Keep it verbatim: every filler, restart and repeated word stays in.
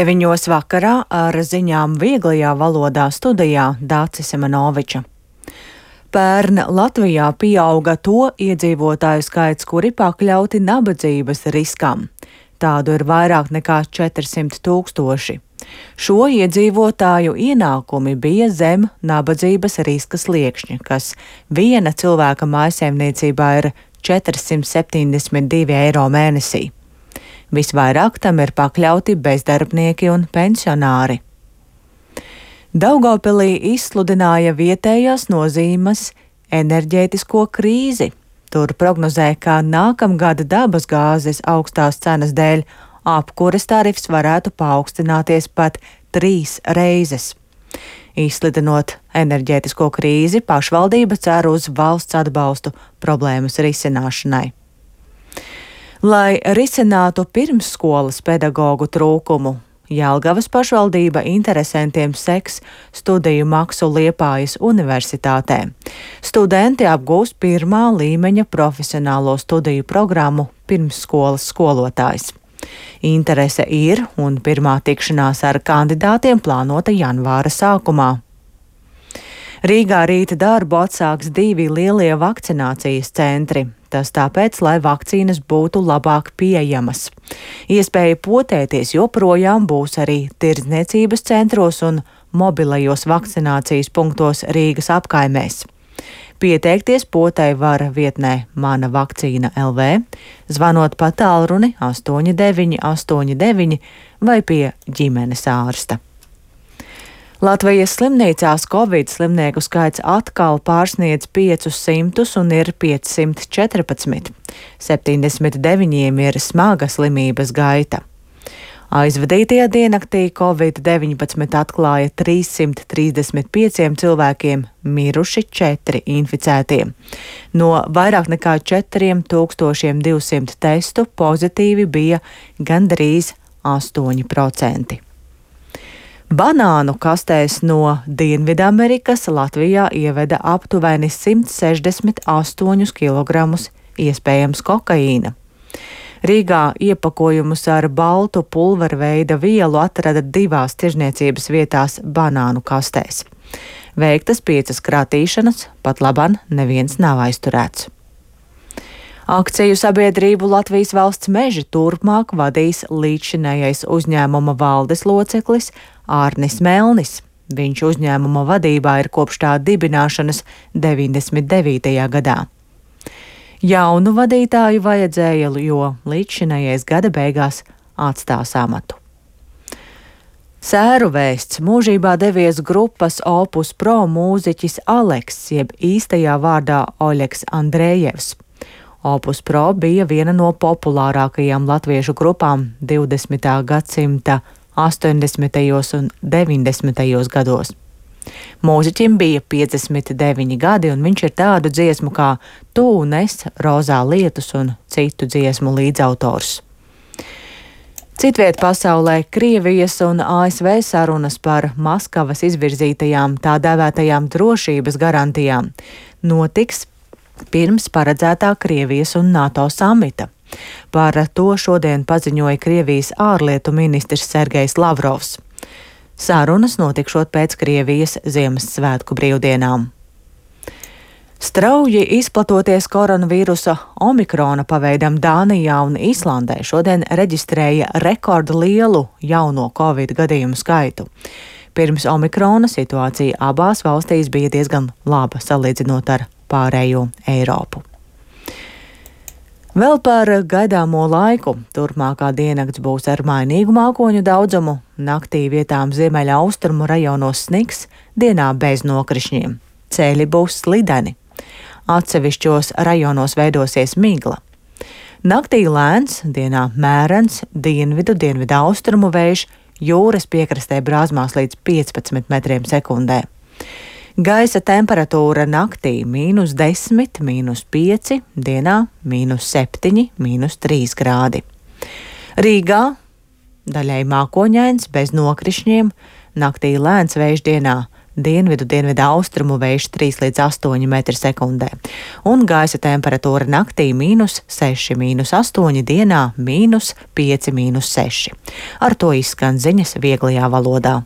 Viņos vakarā ar ziņām vieglajā valodā studijā Dācis Semenoviča. Pērn Latvijā pieauga to iedzīvotāju skaits, kuri pakļauti nabadzības riskam. Tādu ir vairāk nekā četrsimt tūkstoši. Šo iedzīvotāju ienākumi bija zem nabadzības riska sliekšņa, kas viena cilvēka mājsaimniecībā ir četrsimt septiņdesmit divi eiro mēnesī. Visvairāk tam ir pakļauti bezdarbnieki un pensionāri. Daugavpilī izsludināja vietējās nozīmes enerģētisko krīzi. Tur prognozē, ka nākamgada dabas gāzes augstās cenas dēļ apkures tarifs varētu paaugstināties pat trīs reizes. Izsludinot enerģētisko krīzi, pašvaldība cer uz valsts atbalstu problēmas risināšanai. Lai risinātu pirmsskolas pedagoģu trūkumu, Jelgavas pašvaldība interesantiem seks studiju maksu Liepājas universitātē. Studenti apgūs pirmā līmeņa profesionālo studiju programmu pirmsskolas skolotājs. Interese ir, un pirmā tikšanās ar kandidātiem plānota janvāra sākumā. Rīgā rīta darbu atsāks divi lielie vakcinācijas centri. Tas tāpēc, lai vakcīnas būtu labāk pieejamas. Iespēja potēties joprojām būs arī tirdzniecības centros un mobilajos vakcinācijas punktos Rīgas apkaimēs. Pieteikties potei var vietnē Mana vakcīna L V, zvanot pa tālruni astoņi deviņi astoņi deviņi vai pie ģimenes ārsta. Latvijas slimnīcās Covid slimnieku skaits atkal pārsniedz piecus simtus un ir piecsimt četrpadsmit. septiņdesmit deviņiem ir smaga slimības gaita. Aizvadītajā diennaktī Covid deviņpadsmit atklāja trīssimt trīsdesmit pieciem cilvēkiem, miruši četri inficētie. No vairāk nekā četriem tūkstošiem divsimt testu pozitīvi bija gandrīz astoņi procenti. Banānu kastēs no Dienvidamerikas Latvijā ieveda aptuveni simt sešdesmit astoņus kilogramus iespējams kokaīna. Rīgā iepakojumus ar baltu pulverveida vielu atrada divās tirzniecības vietās banānu kastēs. Veiktas piecas kratīšanas, pat laban neviens nav aizturēts. Akciju sabiedrību Latvijas valsts meži turpmāk vadīs līdzšinējais uzņēmuma valdes loceklis Ārnis Melnis. Viņš uzņēmuma vadībā ir kopš tā dibināšanas deviņdesmit devītajā gadā. Jaunu vadītāju vajadzēja, jo līdzšinējais gada beigās atstās amatu. Sēru vēsts mūžībā devies grupas Opus Pro mūziķis Aleks, jeb īstajā vārdā Oļegs Andrejevs. Opus Pro bija viena no populārākajām latviešu grupām divdesmitā gadsimta astoņdesmitajos un deviņdesmitajos gados. Mūziķim bija piecdesmit deviņi gadi, un viņš ir tādu dziesmu kā Tu un es, Rozā lietus un citu dziesmu līdzautors. Citviet pasaulē Krievijas un A S V sarunas par Maskavas izvirzītajām tā dēvētajām drošības garantijām notiks pirms paredzētā Krievijas un NATO samita. Par to šodien paziņoja Krievijas ārlietu ministrs Sergejs Lavrovs. Sarunas notikšot pēc Krievijas Ziemassvētku brīvdienām. Strauji izplatoties koronavīrusa omikrona paveidam Dānijā un Islandē šodien reģistrēja rekordlielu jauno covid gadījumu skaitu. Pirms omikrona situācija abās valstīs bija diezgan laba salīdzinot ar pārējo Eiropu. Vēl par gaidāmo laiku. Turpmākā diennakts būs ar mainīgu mākoņu daudzumu, naktī vietām ziemeļa austrumu rajonos sniks, dienā bez nokrišņiem. Ceļi būs slideni. Atsevišķos rajonos veidosies migla. Naktī lēns, dienā mērens, dienvidu, dienvidu austrumu vējš, jūras piekrastē brāzmās līdz piecpadsmit metriem sekundē. Gaisa temperatūra naktī mīnus desmit, mīnus pieci, dienā mīnus septiņi, mīnus trīs grādi. Rīgā daļai mākoņains bez nokrišņiem, naktī lēns vējš, dienā dienvidu, dienvidu austrumu vējš trīs līdz astoņi metri sekundē. Un gaisa temperatūra naktī mīnus seši, mīnus astoņi, dienā mīnus pieci, mīnus seši. Ar to izskan ziņas vieglajā valodā.